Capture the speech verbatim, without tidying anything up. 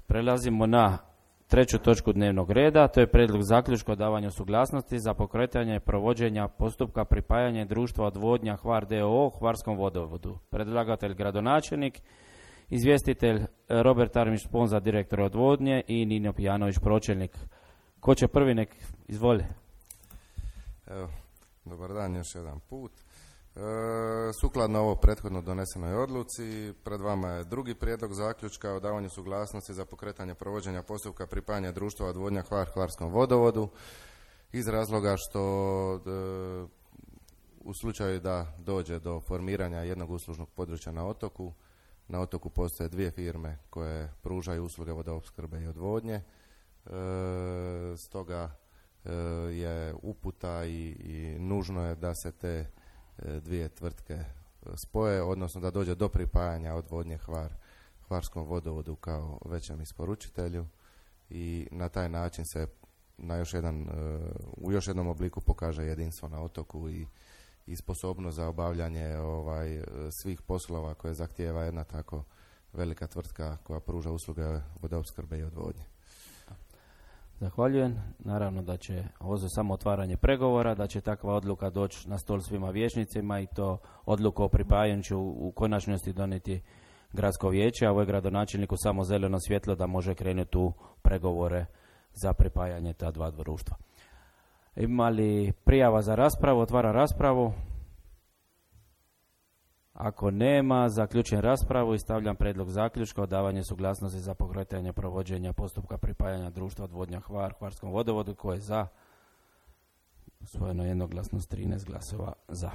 Prelazimo na treću točku dnevnog reda, to je prijedlog zaključka o davanju suglasnosti za pokretanje provođenja postupka pripajanja društva odvodnja Hvar d o o Hvarskom vodovodu. Predlagatelj gradonačelnik, izvjestitelj Robert Armić Sponza, direktor odvodnje, i Nino Pijanović, pročelnik. Ko će prvi, nek izvoli. Evo, dobar dan još jedan put. E, sukladno ovo prethodno donesenoj odluci, pred vama je drugi prijedlog zaključka o davanju suglasnosti za pokretanje provođenja postupka pripajanja društva odvodnja Hvar Hvarskom vodovodu, iz razloga što e, u slučaju da dođe do formiranja jednog uslužnog područja na otoku, na otoku postoje dvije firme koje pružaju usluge vodoopskrbe i odvodnje, e, stoga e, je uputa i, i nužno je da se te dvije tvrtke spoje, odnosno da dođe do pripajanja odvodnje Hvar Hvarskom vodovodu kao većem isporučitelju i na taj način se na još jedan, u još jednom obliku pokaže jedinstvo na otoku i, i sposobnost za obavljanje ovaj, svih poslova koje zahtijeva jedna tako velika tvrtka koja pruža usluge vodoopskrbe i odvodnje. Zahvaljujem. Naravno da će ovo za samo otvaranje pregovora, da će takva odluka doći na stol svima vijećnicima i to odluku o pripajanju će u, u konačnosti donijeti gradsko vijeće, a ovo je gradonačelniku samo zeleno svjetlo da može krenuti u pregovore za pripajanje ta dva društva. Ima li prijava za raspravu? Otvara raspravu. Ako nema, zaključujem raspravu i stavljam prijedlog zaključka o davanju suglasnosti za pokretanje provođenja postupka pripajanja društva odvodnja Hvar Hvarskom vodovodu. Ko je za? Usvojeno jednoglasno s trinaest glasova za.